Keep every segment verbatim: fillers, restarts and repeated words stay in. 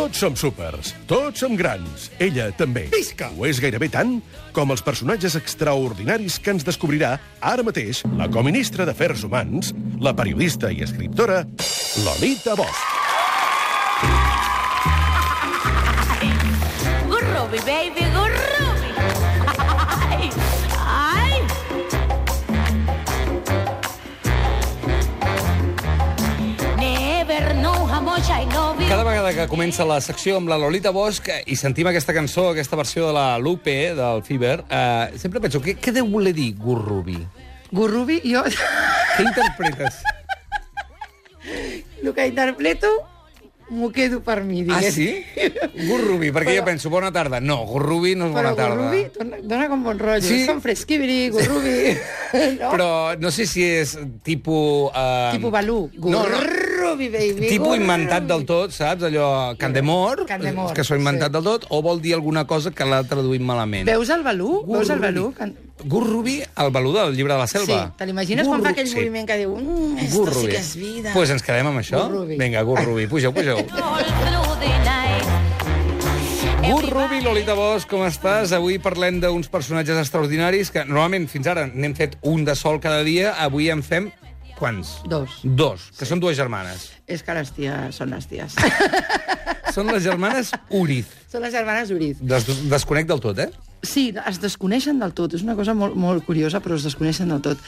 Tots som súpers, tots som grans. Ella també. Visca! Ho és gairebé tant com els personatges extraordinaris que ens descobrirà ara mateix la coministra d'Afers Humans, la periodista i escriptora Lolita Bosch. Gurrubi, baby, gurrubi. Ai, ai. Never know how much I love you. Cada vegada que comença la secció amb la Lolita Bosch i sentim aquesta cançó, aquesta versió de la Lupe, del Fever, eh, sempre penso, què, què deu voler dir Gurrubi? Gurrubi, jo... Què interpretes? El que interpreto m'ho quedo per mi, Ah, digués. sí? Gurrubi, perquè Però- jo penso, bona tarda. No, Gurrubi no és bona Però tarda. Gurrubi dona, dona com bon rotllo. Sí? És com fresquibri, Gurrubi. No? Però no sé si és tipus... Eh, Tipo Balú. No, no. Gurrubi, baby. Tipus Gurrubi. inventat del tot, saps? Allò, Candemor, Candemor, que s'ho ha inventat sí. del tot, o vol dir alguna cosa que l'ha traduït malament? Veus el Balú? Veus el Balú? Gurrubi. Gurrubi, el Balú del llibre de la Sí, selva. te l'imagines quan fa Gurru- aquell sí. moviment que diu mm, esto sí que és vida. Doncs pues ens quedem amb això? Gurrubi. Vinga, Gurrubi, pugeu, pugeu. All through the night. Gurrubi, Lolita Bosch, com estàs? Avui parlem d'uns personatges extraordinaris que normalment fins ara n'hem fet un de sol cada dia, avui en fem quants? Dos. Dos, que són dues germanes. És que les ties són les ties. Són les germanes Uriz. Són les germanes Uriz. Des desconec del tot, eh? Sí, es desconeixen del tot. És una cosa molt, molt curiosa, però es desconeixen del tot.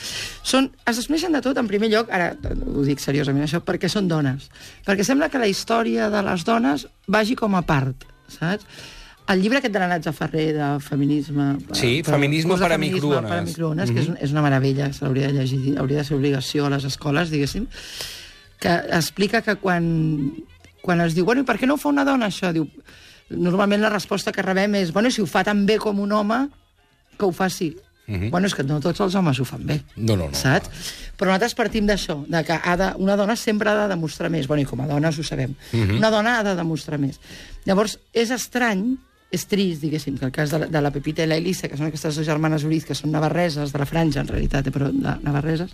Són, es desconeixen de tot, en primer lloc, ara ho dic seriosament això, perquè són dones. Perquè sembla que la història de les dones vagi com a part, saps? El llibre aquest de la Natza Ferrer, de feminisme... Sí, Feminisme curs de per a feminisme microones. Per a microones, que és, un- és una meravella, se l'hauria de llegir, hauria de ser obligació a les escoles, diguéssim, que explica que quan, quan es diu, bueno, i per què no ho fa una dona, això? Diu, normalment la resposta que rebem és, bueno, si ho fa tan bé com un home, que ho faci. Mhm. Bueno, és que no tots els homes ho fan bé. No, no, no. Saps? Però nosaltres partim d'això, de que ha de, una dona sempre ha de demostrar més. Bueno, i com a dones ho sabem. Mhm. Una dona ha de demostrar més. Llavors, és estrany, és trist, diguéssim, que el cas de la, de la Pepita i la Elisa, que són aquestes dues germanes Uriz, que són navarreses, de la franja, en realitat, eh, però de navarreses,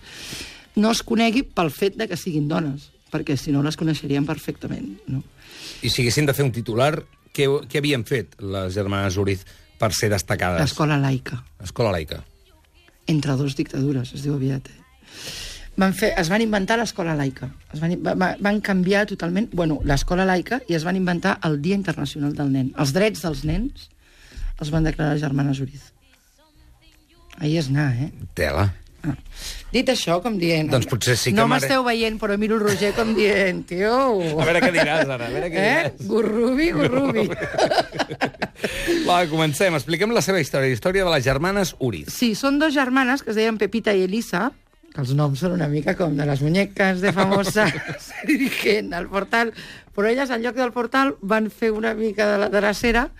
no es conegui pel fet de que siguin dones, perquè si no les coneixerien perfectament, no? I si haguessin de fer un titular, què, què havien fet les germanes Uriz per ser destacades? L'escola laica. Escola laica. Entre dos dictadures, es diu aviat. Eh? Van fer, es van inventar l'escola laica. Es van, va, van canviar totalment, bueno, l'escola laica, i es van inventar el Dia Internacional del Nen. Els drets dels nens els van declarar les germanes Uriz. Ahí és anar, eh? Tela. Ah. Dit això, com dient... Doncs potser sí que No mare- m'esteu veient, però miro el Roger com dient, tio... A veure què diràs, ara, a veure què Eh? diràs. Gurrubi, gurrubi. Va, comencem. Expliquem la seva història, la història de les germanes Uriz. Sí, són dos germanes que es deien Pepita i Elisa, que els noms són una mica com de les muñecas de famosa Virgen al portal, però elles, en lloc del portal, van fer una mica de la tercera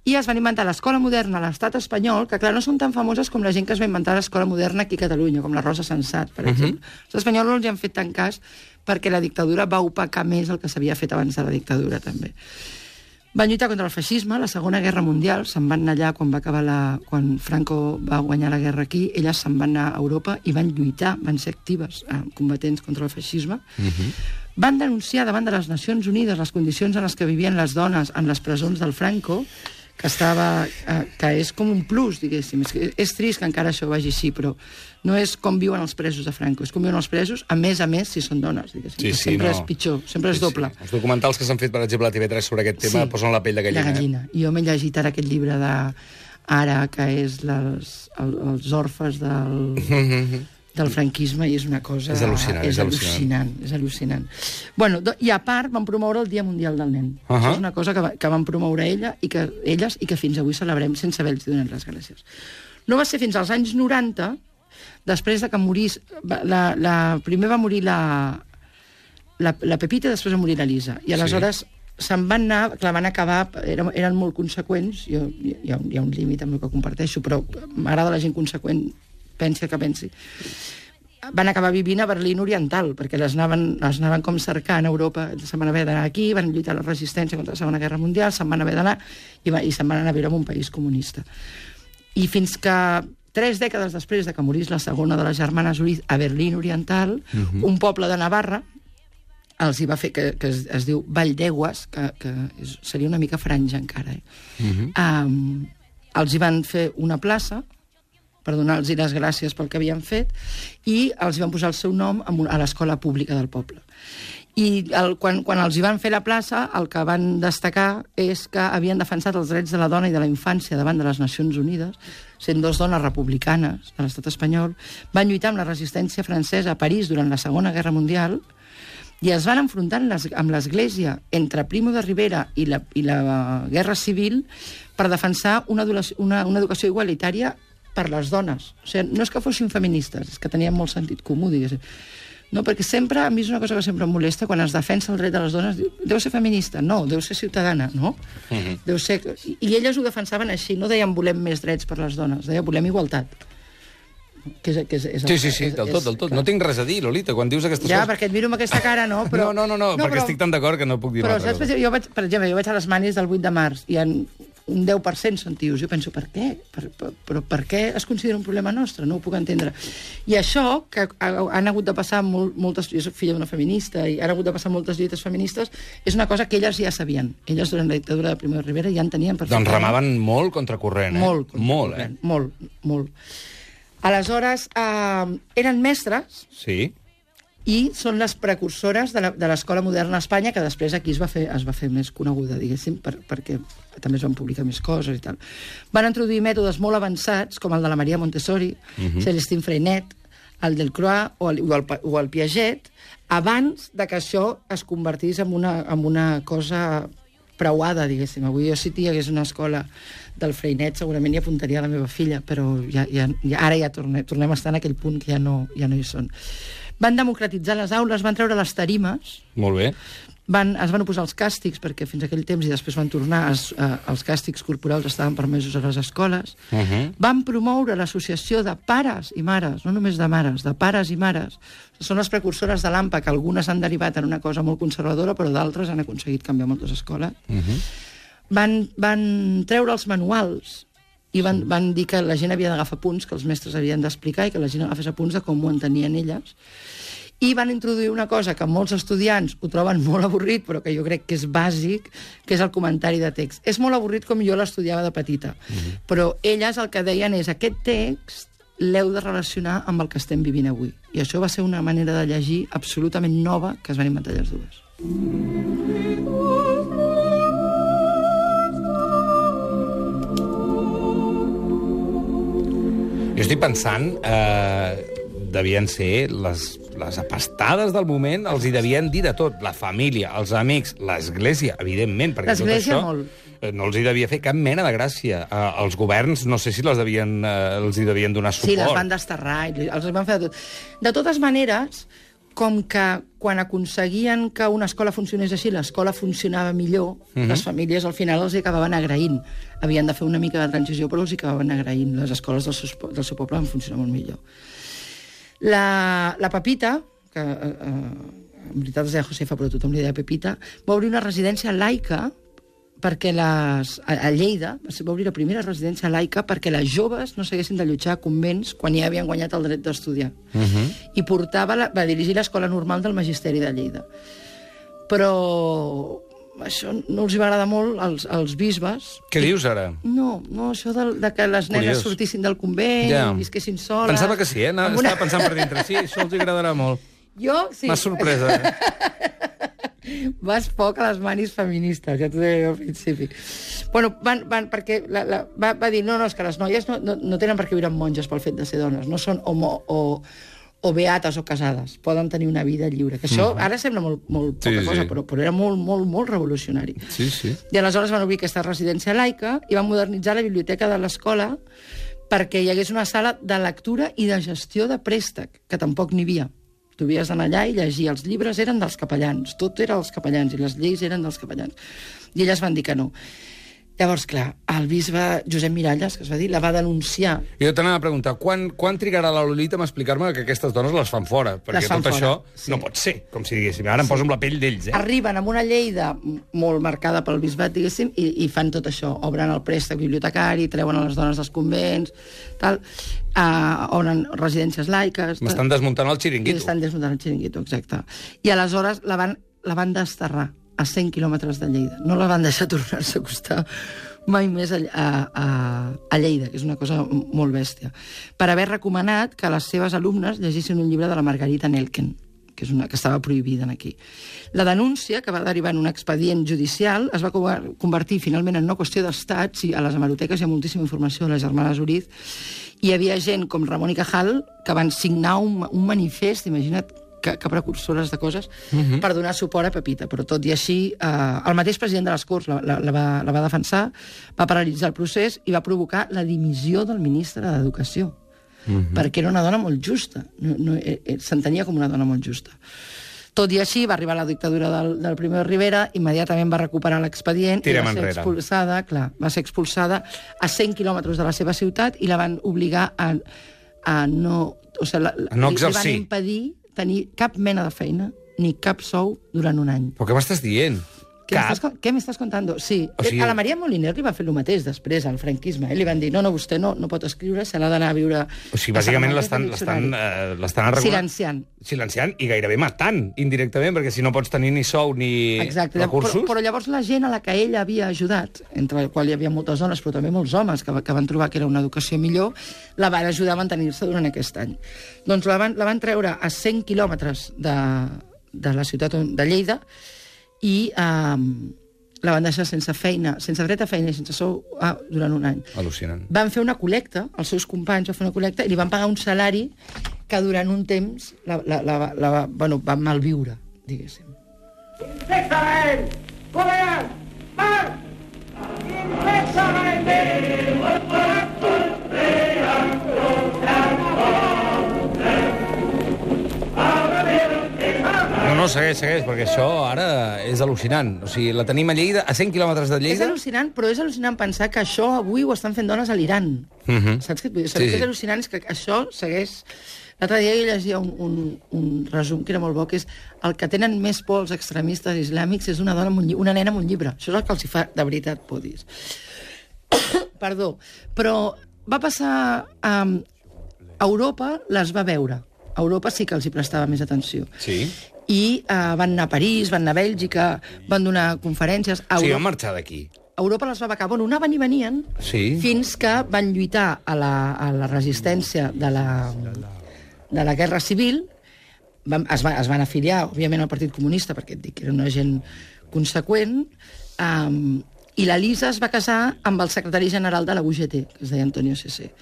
i es van inventar l'escola moderna a l'estat espanyol, que, clar, no són tan famoses com la gent que es va inventar l'escola moderna aquí a Catalunya, com la Rosa Sensat, per exemple. Els espanyols no els hi han fet tant cas perquè la dictadura va opacar més el que s'havia fet abans de la dictadura, també. Van lluitar contra el feixisme, la Segona Guerra Mundial, se'n van anar allà quan va acabar la... quan Franco va guanyar la guerra aquí, elles se'n van anar a Europa i van lluitar, van ser actives, eh, combatents contra el feixisme. Mhm. Van denunciar davant de les Nacions Unides les condicions en les que vivien les dones en les presons del Franco, que estava, eh, que és com un plus, diguéssim. És, que és trist que encara això vagi així, però no és com viuen els presos de Franco, és com viuen els presos, a més a més, si són dones, diguéssim. Sí, que sí, sempre no. és pitjor, sempre és doble. Els documentals que s'han fet, per exemple, a T V tres sobre aquest tema posen la pell de gallina. De gallina. I jo m'he llegit ara aquest llibre de ara, que és les, el, els orfes del, del franquisme, i és una cosa... És al·lucinant, és és al·lucinant. al·lucinant. És al·lucinant. Bueno, do, i a part van promoure el Dia Mundial del Nen. Uh-huh. Això és una cosa que, va, que van promoure ella i que, elles i que fins avui celebrem sense haver-los donat les gràcies. No va ser fins als anys noranta, després de que morís... La, la, primer va morir la, la, la Pepita i després va morir la Lisa. I aleshores... Sí. Se'n van anar, clar, van acabar, eren, eren molt conseqüents, jo, hi, ha, hi ha un límit amb el que comparteixo, però m'agrada la gent conseqüent, pensi el que pensi. Van acabar vivint a Berlín Oriental, perquè les anaven, les anaven com cercant a Europa, se'n van haver d'anar aquí, van lluitar la resistència contra la Segona Guerra Mundial, se'n van haver d'anar, i, va, i se'n van anar a viure en un país comunista. I fins que tres dècades després de que morís la segona de les germanes Uriz a Berlín Oriental, uh-huh. un poble de Navarra els hi va fer, que, que es, es diu Ball d'Egües, que, que és, seria una mica franja encara, eh? Uh-huh. um, els hi van fer una plaça per donar-los les gràcies pel que havien fet, i els van posar el seu nom a l'escola pública del poble. I el, quan, quan els hi van fer la plaça, el que van destacar és que havien defensat els drets de la dona i de la infància davant de les Nacions Unides, sent dos dones republicanes de l'estat espanyol, van lluitar amb la resistència francesa a París durant la Segona Guerra Mundial, i es van enfrontar amb l'Església entre Primo de Rivera i la, i la Guerra Civil per defensar una, una, una educació igualitària per les dones. O sigui, no és que fossin feministes, és que tenien molt sentit comú, diguéssim. No, perquè sempre, a mi és una cosa que sempre em molesta, quan es defensa el dret de les dones, deu ser feminista? No, deu ser ciutadana, no? Uh-huh. Deu ser... I elles ho defensaven així, no deien volem més drets per les dones, deien volem igualtat. Que és, que és, és sí, sí, sí, del tot, del tot. No tinc res a dir, Lolita, quan dius aquestes ja, coses... Ja, perquè et miro amb aquesta cara, no? Però... No, no, no, no, no perquè però... estic tan d'acord que no puc dir però, una altra saps, cosa. Jo vaig, per exemple, jo vaig a les manis del vuit de març, i en un deu per cent són tios. Jo penso, per què? Per, per, però per què es considera un problema nostre? No ho puc entendre. I això, que han hagut de passar molt, moltes... Jo soc filla d'una feminista, i han hagut de passar moltes lluites feministes, és una cosa que elles ja sabien. Elles, durant la dictadura de Primo de Rivera, ja en tenien perfectament. Doncs remaven molt contracorrent, eh? Molt, molt, eh? Molt, molt. Aleshores, eh, eren mestres... Sí. I són les precursores de l'escola moderna a Espanya, que després aquí es va fer, es va fer més coneguda, diguéssim, per, perquè també es van publicar més coses i tal. Van introduir mètodes molt avançats, com el de la Maria Montessori, uh-huh. Celestine Freinet, el del Croix o el, o, el, o el Piaget, abans de que això es convertís en una, en una cosa preuada, diguéssim. Avui jo, si hi hagués una escola del Freinet, segurament hi apuntaria la meva filla, però ja, ja, ja, ara ja tornem, tornem a estar en aquell punt que ja no, ja no hi són. Van democratitzar les aules, van treure les tarimes. Molt bé. Van, es van oposar als càstigs, perquè fins a aquell temps, i després van tornar, es, eh, els càstigs corporals estaven permesos a les escoles. Uh-huh. Van promoure l'associació de pares i mares, no només de mares, de pares i mares. Són les precursores de l'A M P A, que algunes han derivat en una cosa molt conservadora, però d'altres han aconseguit canviar moltes escoles. Uh-huh. Van, van treure els manuals i van, van dir que la gent havia d'agafar punts, que els mestres havien d'explicar, i que la gent agafés apunts de com ho entenien elles. I van introduir una cosa que molts estudiants ho troben molt avorrit, però que jo crec que és bàsic, que és el comentari de text. És molt avorrit com jo l'estudiava de petita, uh-huh. però elles el que deien és aquest text l'heu de relacionar amb el que estem vivint avui. I això va ser una manera de llegir absolutament nova que es van inventar les dues. Jo estic pensant, eh, devien ser les, les apastades del moment, els hi devien dir de tot. La família, els amics, l'església, evidentment, perquè tot això molt. no els hi devia fer cap mena de gràcia. Eh, els governs, no sé si les devien, eh, els hi devien donar suport. Sí, les van desterrar, els van fer de tot. De totes maneres, com que quan aconseguien que una escola funcionés així, l'escola funcionava millor, uh-huh. les famílies al final els hi acabaven agraint. Havien de fer una mica de transició, però els hi acabaven agraint. Les escoles del seu, del seu poble van funcionar molt millor. La, la Pepita, que eh, en veritat es deia Josefa, però tothom li deia Pepita, va obrir una residència laica perquè les, a, a Lleida va obrir la primera residència laica perquè les joves no s'haguessin d'allotjar a convents quan ja havien guanyat el dret d'estudiar. Uh-huh. I portava la, va dirigir l'escola normal del Magisteri de Lleida. Però això no els va agradar molt als, als bisbes. Què dius ara? No, no això de, de que les nenes Curiós. sortissin del convent, ja. visquessin soles... Pensava que sí, eh? No, una... Estava pensant per dintre. Sí, això els agradarà molt. Jo, sí. M'ha sorpresa, eh? Vas poc a les manis feministes, ja t'ho deia al principi. Bueno, van, van, perquè la, la, va, va dir, no, no, és que les noies no, no, no tenen per què viure amb monges pel fet de ser dones, no són homo, o, o beates o casades, poden tenir una vida lliure. Que això mm. ara sembla molt, molt poca sí, cosa, sí. Però, però era molt, molt, molt revolucionari. Sí, sí. I aleshores van obrir aquesta residència laica i van modernitzar la biblioteca de l'escola perquè hi hagués una sala de lectura i de gestió de préstec, que tampoc n'hi havia. Tu havies d'anar allà i llegir. Els llibres eren dels capellans, tot era dels capellans, i les lleis eren dels capellans. I elles van dir que no. Llavors, clar, el bisbe Josep Miralles, que es va dir, la va denunciar. Jo t'anava a preguntar, quan, quan trigarà la Lolita a explicar-me que aquestes dones les fan fora? Perquè fan tot fora, això sí. no pot ser, com si diguéssim. Ara em sí. poso amb la pell d'ells, eh? Arriben amb una Lleida molt marcada pel bisbat, diguéssim, i, i fan tot això. Obren el préstec bibliotecari, treuen a les dones dels convents, tal, uh, obren residències laiques... M'estan desmuntant el xiringuito. M'estan desmuntant el xiringuito, exacte. I aleshores la van la van desterrar a cent quilòmetres de Lleida. No la van deixar tornar-se a acostar mai més a, a, a Lleida, que és una cosa molt bèstia, per haver recomanat que les seves alumnes llegissin un llibre de la Margarita Nelken, que, és una, que estava prohibida aquí. La denúncia, que va derivar en un expedient judicial, es va convertir finalment en una qüestió d'estat. Sí, a les hemeroteques hi ha moltíssima informació de les germanes Uriz. Hi havia gent com Ramon i Cajal que van signar un, un manifest, imagina't que, que precursores de coses, uh-huh. per donar suport a Pepita. Però tot i així, eh, el mateix president de les Corts la, la, la, va, la va defensar, va paralitzar el procés i va provocar la dimissió del ministre d'Educació. Uh-huh. Perquè era una dona molt justa. No, no, eh, s'entenia com una dona molt justa. Tot i així, va arribar la dictadura del, del Primo de Rivera, immediatament va recuperar l'expedient i va ser enrere. expulsada, clar, va ser expulsada a cent quilòmetres de la seva ciutat i la van obligar a, a no... O sigui, la, a no exercir. Li van impedir tenir cap mena de feina ni cap sou durant un any. Però què m'estàs dient? Què m'estàs, què m'estàs contando? Sí. O sigui... A la Maria Moliner li va fer el mateix després, al franquisme. Eh? Li van dir, no, no, vostè no, no pot escriure, se l'ha d'anar a viure... O sigui, bàsicament l'estan eh, arregulant... Silenciant. Silenciant i gairebé matant, indirectament, perquè si no pots tenir ni sou ni Exacte. recursos... Però, però llavors la gent a la que ella havia ajudat, entre el qual hi havia moltes dones, però també molts homes, que, que van trobar que era una educació millor, la van ajudar a mantenir-se durant aquest any. Doncs la van, la van treure a cent quilòmetres de, de la ciutat de Lleida i eh, la van deixar sense feina, sense dret a feina i sense sou ah, durant un any. Al·lucinant. Van fer una col·lecta, els seus companys van fer una col·lecta i li van pagar un salari que durant un temps la, la, la, la, la, bueno, van malviure, diguéssim. Infectament! Coreans! Marx! Infectament! No, no, segueix, segueix, perquè això ara és al·lucinant. O sigui, la tenim a Lleida, a cent quilòmetres de Lleida... És al·lucinant, però és al·lucinant pensar que això avui ho estan fent dones a l'Iran. Uh-huh. Saps què et vull dir? Saps Sí, què és sí. al·lucinant? És que això segueix... L'altre dia jo llegia un, un, un resum que era molt bo, que és el que tenen més por els extremistes islàmics és una dona amb un llibre, una nena amb un llibre. Això és el que els hi fa de veritat por dir. Perdó. Però va passar... Um, a Europa les va veure. A Europa sí que els hi prestava més atenció. Sí. I uh, van anar a París, van anar a Bèlgica, van donar conferències... A Sí, Europa... van marxar d'aquí. Europa les va becar. Bueno, anaven i venien Sí. fins que van lluitar a la, a la resistència de la, de la Guerra Civil. Van, es, va, es van afiliar, òbviament, al Partit Comunista, perquè et dic que era una gent conseqüent, um, i la Lisa es va casar amb el secretari general de la U G T, que es deia Antonio Cesé,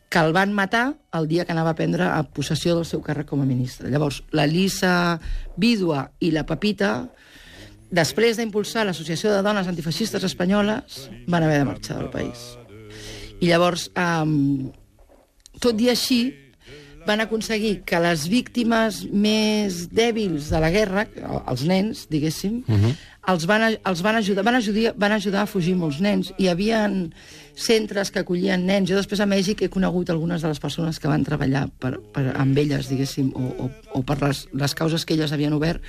que el van matar el dia que anava a prendre a possessió del seu càrrec com a ministre. Llavors, la Lisa vídua i la Pepita, després d'impulsar l'Associació de Dones Antifeixistes Espanyoles, van haver de marxar del país. I llavors, um, tot i així, van aconseguir que les víctimes més dèbils de la guerra, els nens, diguéssim, uh-huh. els, van, els van, ajudar, van, ajudar, van ajudar a fugir molts nens. Hi havia centres que acollien nens. Jo després a Mèxic he conegut algunes de les persones que van treballar per, per, amb elles, diguéssim, o, o, o per les, les causes que elles havien obert.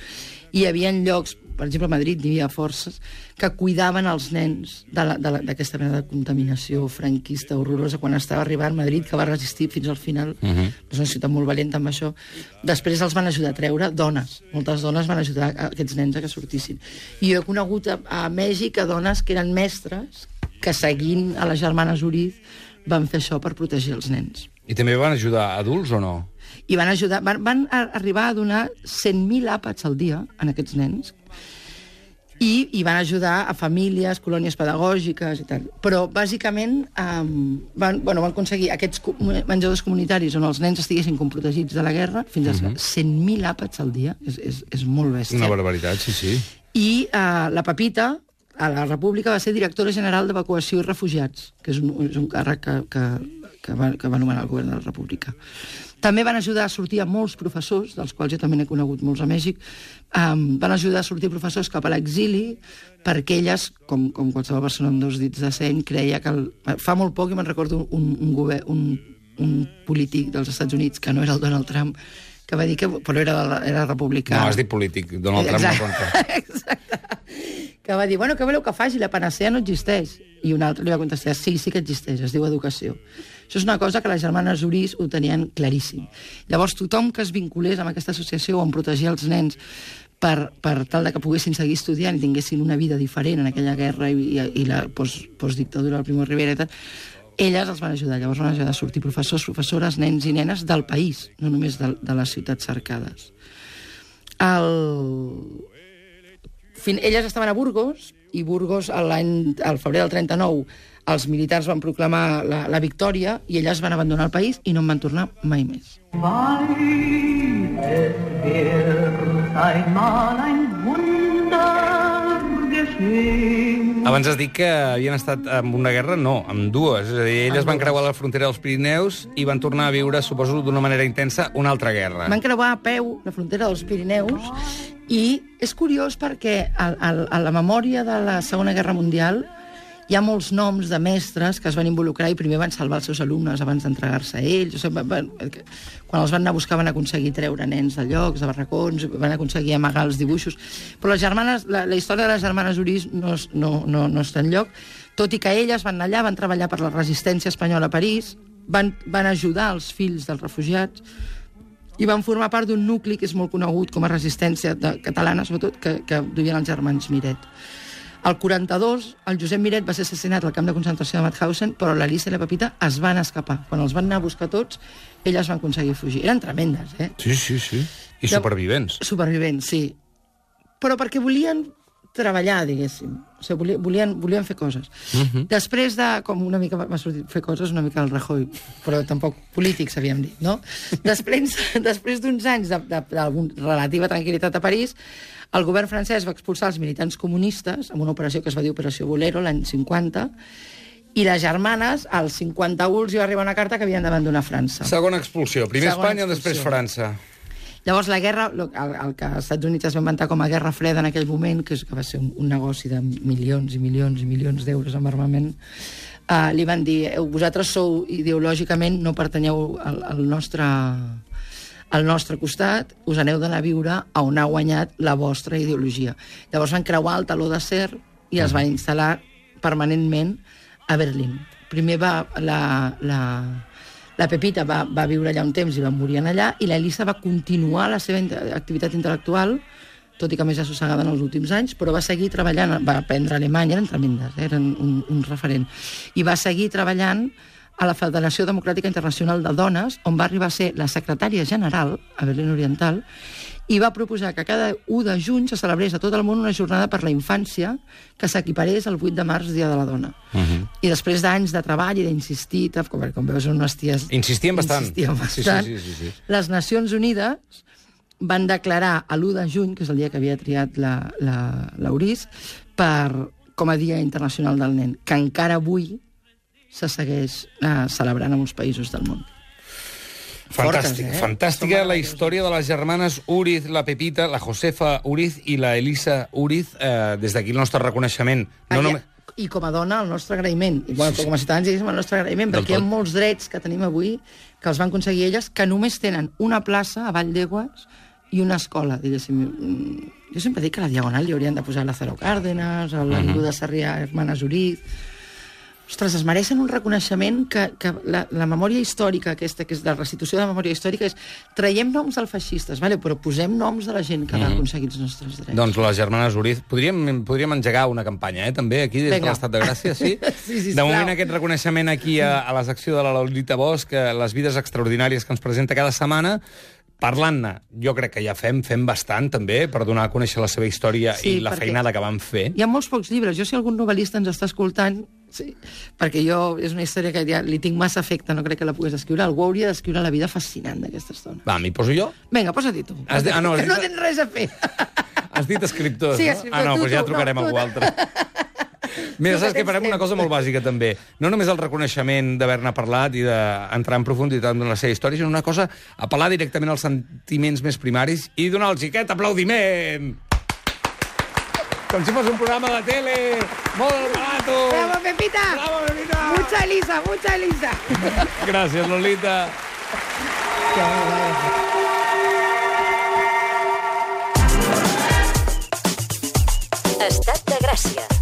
I hi havia llocs, per exemple a Madrid hi havia forces que cuidaven els nens d'aquesta mena de contaminació franquista horrorosa quan estava arribant a Madrid, que va resistir fins al final. Uh-huh. És una ciutat molt valenta amb això. Després els van ajudar a treure dones. Moltes dones van ajudar a aquests nens a que sortissin. I jo he conegut a, a Mèxic a dones que eren mestres que, seguint a les germanes Uriz, van fer això per protegir els nens. I també van ajudar adults o no? I van ajudar, van, van arribar a donar cent mil àpats al dia a aquests nens i, i van ajudar a famílies, colònies pedagògiques i tal. Però, bàsicament, um, van, bueno, van aconseguir aquests menjadors comunitaris on els nens estiguessin com protegits de la guerra fins a uh-huh. cent mil àpats al dia. És, és, és molt bèstia. Una barbaritat, sí, sí. I uh, la Pepita, a la República, va ser directora general d'Evacuació i Refugiats, que és un, és un càrrec que, que, que, va, que va nomenar el govern de la República. També van ajudar a sortir a molts professors, dels quals jo també n'he conegut molts a Mèxic, um, van ajudar a sortir professors cap a l'exili, perquè elles, com, com qualsevol persona amb dos dits de seny, creia que... El... Fa molt poc, i me'n recordo un, un, govern, un, un polític dels Estats Units, que no era el Donald Trump, que va dir que... Però era, era republicà. No, has dit polític. Donald Trump no compta. Exacte. Que va dir, bueno, què voleu que faci? La panacea no existeix. I un altre li va contestar, sí, sí que existeix, es diu educació. Això és una cosa que les germanes Uriz ho tenien claríssim. Llavors, tothom que es vinculés amb aquesta associació on protegia els nens per, per tal de que poguessin seguir estudiant i tinguessin una vida diferent en aquella guerra i, i, i la post, postdictadura del Primo de Rivera i tal, elles els van ajudar. Llavors van ajudar a sortir professors, professores, nens i nenes del país, no només de, de les ciutats cercades. El... Fin... Elles estaven a Burgos, i Burgos, l'any, al febrer del trenta-nou, els militars van proclamar la, la victòria i elles van abandonar el país i no en van tornar mai més. Abans has dit que havien estat en una guerra, no, amb dues. És a dir, elles van creuar la frontera dels Pirineus i van tornar a viure, suposo, d'una manera intensa, una altra guerra. Van creuar a peu la frontera dels Pirineus i és curiós perquè a, a, a la memòria de la Segona Guerra Mundial hi ha molts noms de mestres que es van involucrar i primer van salvar els seus alumnes abans d'entregar-se a ells. O sigui, van, quan els van anar a buscar van aconseguir treure nens de llocs, de barracons, van aconseguir amagar els dibuixos. Però les germanes, la, la història de les germanes Uris no, no, no, no està enlloc, tot i que elles van anar allà, van treballar per la resistència espanyola a París, van, van ajudar els fills dels refugiats i van formar part d'un nucli que és molt conegut com a resistència de, catalana, sobretot, que, que duien els germans Miret. Al quaranta-dos, el Josep Miret va ser assassinat al camp de concentració de Mauthausen, però l'Elisa i la Pepita es van escapar. Quan els van anar a buscar tots, elles van aconseguir fugir. Eren tremendes, eh? Sí, sí, sí. I supervivents. Supervivents, sí. Però perquè volien treballar, diguéssim. O sigui, volien, volien fer coses. Uh-huh. Després de... Com una mica m'ha sortit fer coses, una mica el Rajoy, però tampoc polítics, havíem dit, no? Després, després d'uns anys d'alguna relativa tranquil·litat a París, el govern francès va expulsar els militants comunistes amb una operació que es va dir Operació Bolero l'any cinquanta, i les germanes, al cinquanta-u, els hi va arribar una carta que havien d'abandonar França. Segona expulsió. Primer Segona Espanya, expulsió. Després França. Llavors la guerra, el, el que als Estats Units es va inventar com a Guerra Freda en aquell moment, que, és, que va ser un, un negoci de milions i milions i milions d'euros amb armament, uh, li van dir, vosaltres sou ideològicament, no pertanyeu al, al nostre... al nostre costat, us aneu d'anar a viure a on ha guanyat la vostra ideologia. Llavors van creuar el taló d'acer i els van instal·lar permanentment a Berlín. Primer va la, la, la Pepita va, va viure allà un temps i va morir allà, i l'Elisa va continuar la seva activitat intel·lectual, tot i que més assossegada en els últims anys, però va seguir treballant, va aprendre alemany, eren tremendes, eh? Eren un, un referent, i va seguir treballant a la Federació Democràtica Internacional de Dones, on va arribar a ser la secretària general a Berlín Oriental, i va proposar que cada u de juny se celebrés a tot el món una jornada per la infància que s'equiparés al vuit de març, Dia de la Dona. Uh-huh. I després d'anys de treball i d'insistir, com, com veus, unes ties... Insistien bastant. Insistien bastant. Sí, sí, sí, sí, sí. Les Nacions Unides van declarar l'u de juny, que és el dia que havia triat l'Uris, per, com a Dia Internacional del Nen, que encara avui se segueix eh, celebrant a molts països del món. Fantàstic, Fortes, eh? Fantàstica la història de les germanes Uriz, la Pepita, la Josefa Uriz i la Elisa Uriz. Eh, des d'aquí el nostre reconeixement. No només... I com a dona, el nostre agraïment. I bueno, sí, sí. Com a ciutadans, diguéssim, el nostre agraïment, perquè hi ha molts drets que tenim avui que els van aconseguir elles, que només tenen una plaça a Vall d'Aigües i una escola, diguéssim. Jo sempre dic que a la Diagonal hi haurien de posar Lázaro Cárdenas, a l'Avinguda Sarrià, Hermanes Uriz... Ostres, es mereixen un reconeixement que, que la, la memòria històrica aquesta, que és de la restitució de la memòria històrica, és traiem noms dels feixistes, vale? Però posem noms de la gent que mm. va aconseguir els nostres drets. Doncs les germanes Uriz, podríem, podríem engegar una campanya, eh, també, aquí, des Venga. de l'Estat de Gràcia, sí? Sí, sí, de moment, aquest reconeixement aquí a, a la secció de la Lolita Bosch, les vides extraordinàries que ens presenta cada setmana, parlant-ne, jo crec que ja fem, fem bastant, també, per donar a conèixer la seva història sí, i la feinada que van fer. Hi ha molts pocs llibres. Jo, si algun novel·lista ens està escoltant, sí, perquè jo és una història que ja li tinc massa afecte, no crec que la puguis escriure. Algú hauria d'escriure la vida fascinant d'aquesta estona. Va, m'hi poso jo? Vinga, posa-t'hi tu. Dit, ah, no, que dit... no tens res a fer. Has dit escriptors, sí, no? escriptor, Ah, no, tu, doncs ja tu, trucarem no, a algú altre. Mira, saps que farem una cosa molt bàsica, també. No només el reconeixement d'haver-ne parlat i d'entrar en profunditat en la seva història, sinó una cosa, apel·lar directament als sentiments més primaris i donar-los aquest aplaudiment! Com si fos un programa de tele! Molt barato! Bravo, Pepita! Bravo, Pepita! Mucha Elisa, mucha Elisa! Gràcies, Lolita! Estat de Gràcia.